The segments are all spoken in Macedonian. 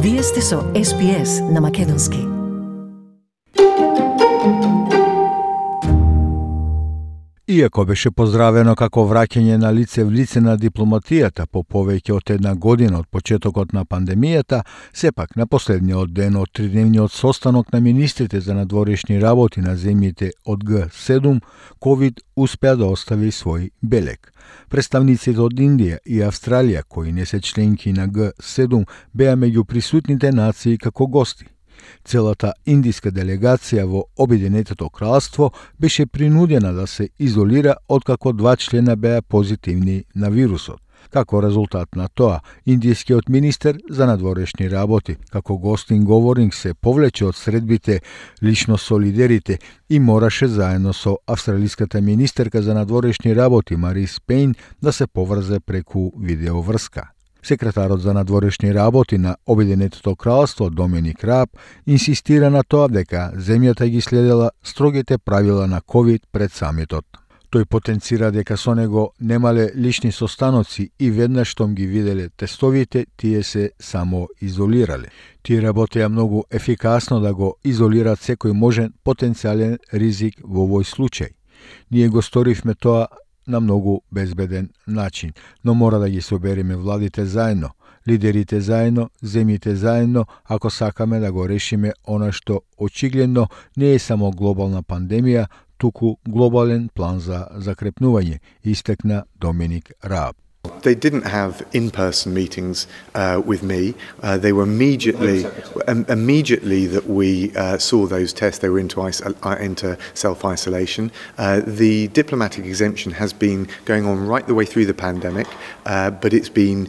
Вие сте со SPS на Македонски. Иако беше поздравено како враќање на лице в лице на дипломатијата по повеќе од една година од почетокот на пандемијата, сепак на последниот ден од тридневниот состанок на министрите за надворешни работи на земјите од Г7, ковид успеа да остави свој белег. Представниците од Индија и Австралија, кои не се членки на Г7, беа меѓу присутните нации како гости. Целата индиска делегација во Обединетото кралство беше принудена да се изолира откако 2 члена беа позитивни на вирусот. Како резултат на тоа, индискиот министер за надворешни работи, како гостин говоринг, се повлече од средбите лично со лидерите и мораше заедно со австралиската министерка за надворешни работи Марис Пейн да се поврзе преку видеоврска. Секретарот за надворешни работи на Обединетото кралство Доминик Раб инсистира на тоа дека земјата ги следела строгите правила на ковид пред самитот. Тој потенцира дека со него немале лични состаноци и веднаш штом ги виделе тестовите, тие се само изолирале. Тие работеа многу ефикасно да го изолират секој можен потенцијален ризик во овој случај. Ние го сторивме тоа на многу безбеден начин, но мора да ги собереме владите заедно, лидерите заедно, земјите заедно, ако сакаме да го решиме она што очигледно не е само глобална пандемија, туку глобален план за закрепнување, истекна Доминик Раб. They didn't have in-person meetings with me. They were immediately that we saw those tests, they were into self-isolation. The diplomatic exemption has been going on right the way through the pandemic, but it's been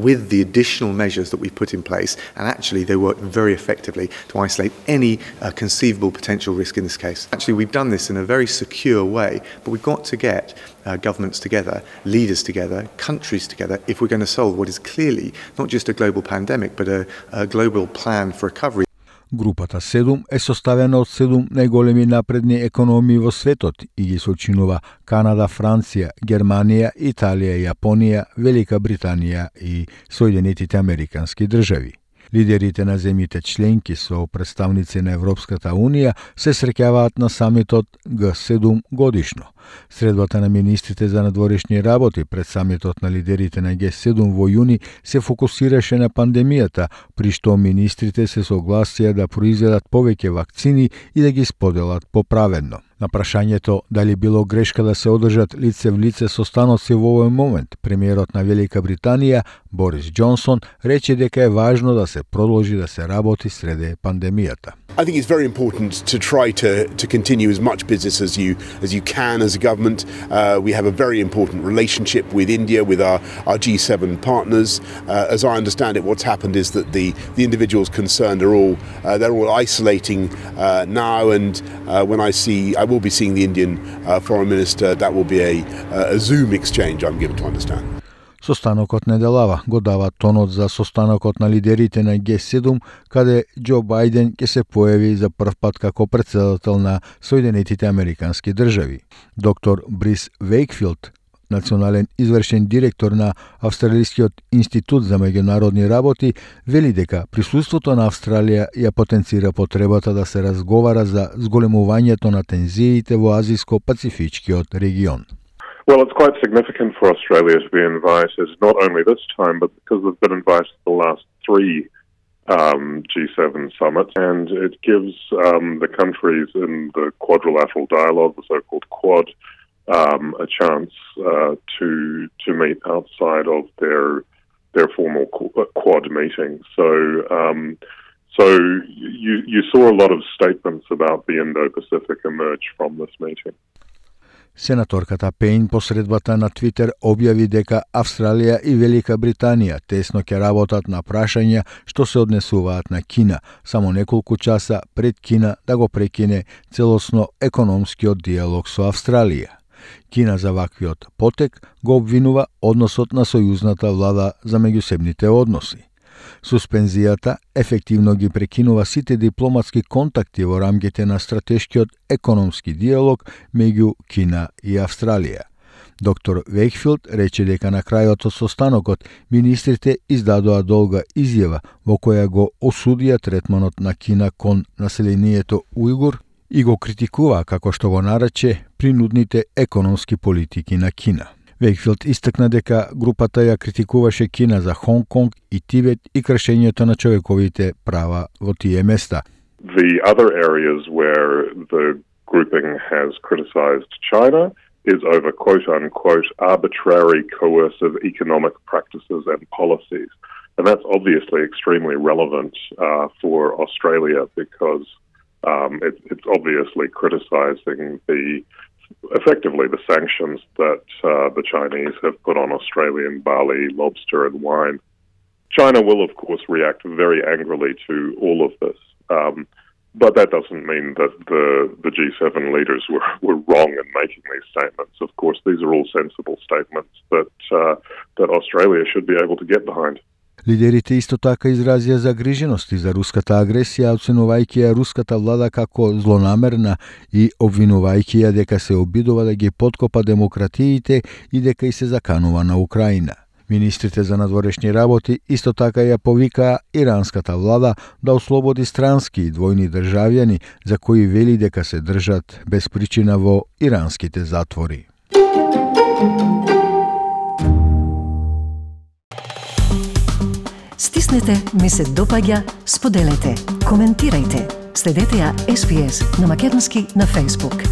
with the additional measures that we put in place, and actually they work very effectively to isolate any conceivable potential risk in this case. Actually, we've done this in a very secure way, but we've got to get governments together, leaders together, countries together, if we're going to solve what is clearly not just a global pandemic, but a global plan for recovery. Групата 7 е составена од 7 најголеми напредни економии во светот и ги сочинува Канада, Франција, Германија, Италија, Јапонија, Велика Британија и Соединетите Американски држави. Лидерите на земјите членки со представници на Европската Унија се среќаваат на самитот Г7 годишно. Средбата на министрите за надворешни работи пред самитот на лидерите на Г7 во јуни се фокусираше на пандемијата, при што министрите се согласија да произведат повеќе вакцини и да ги споделат поправедно. На прашањето дали било грешка да се одржат лице в лице состаноци во овој момент, премиерот на Велика Британија Борис Џонсон рече дека е важно да се продолжи да се работи среде пандемијата. I think it's very important to try to continue as much business as you can as a government. We have a very important relationship with India, with our G7 partners. As I understand it, what's happened is that the individuals concerned are they're all isolating now. And when I will be seeing the Indian foreign minister. That will be a Zoom exchange, I'm given to understand. Состанокот неделава го дава тонот за состанокот на лидерите на Г7, каде Џо Бајден ќе се појави за прв пат како претседател на Соединетите Американски држави. Доктор Брис Вејкфилд, национален извршен директор на Австралискиот институт за меѓународни работи, вели дека присуството на Австралија ја потенцира потребата да се разговара за зголемувањето на тензиите во Азиско-Пацифичкиот регион. Well, it's quite significant for Australia to be invited, not only this time, but because they've been invited to the last 3 G7 summits, and it gives the countries in the quadrilateral dialogue, the so-called Quad, a chance to meet outside of their formal Quad meetings. So you saw a lot of statements about the Indo-Pacific emerge from this meeting. Сенаторката Пейн посредбата на Твитер објави дека Австралија и Велика Британија тесно ќе работат на прашања што се однесуваат на Кина, само неколку часа пред Кина да го прекине целосно економскиот диалог со Австралија. Кина за ваквиот потек го обвинува односот на сојузната влада за меѓусебните односи. Суспензијата ефективно ги прекинува сите дипломатски контакти во рамките на стратешкиот економски диалог меѓу Кина и Австралија. Доктор Вејкфилд рече дека на крајот од состанокот министрите издадоа долга изјава во која го осудија третманот на Кина кон населението ујгур и го критикува, како што го нарече, принудните економски политики на Кина. Вејкфилд истакна дека групата ја критикуваше Кина за Хонг Конг и Тибет и кршењето на човековите права во тие места. The other areas where the grouping has criticised China is over quote-unquote arbitrary coercive economic practices and policies. And that's obviously extremely relevant for Australia because it's obviously criticising effectively the sanctions that the Chinese have put on Australian barley, lobster and wine. China will, of course, react very angrily to all of this. But that doesn't mean that the G7 leaders were wrong in making these statements. Of course, these are all sensible statements that Australia should be able to get behind. Лидерите исто така изразија загрижености за руската агресија, оценувајќи ја руската влада како злонамерна и обвинувајќи ја дека се обидува да ги поткопа демократиите и дека и се заканува на Украина. Министрите за надворешни работи исто така ја повикаа иранската влада да ослободи странски и двојни државјани за кои вели дека се држат без причина во иранските затвори. Стиснете, ми се допаѓа, споделете, коментирајте. Следете ја SPS на Македонски на Facebook.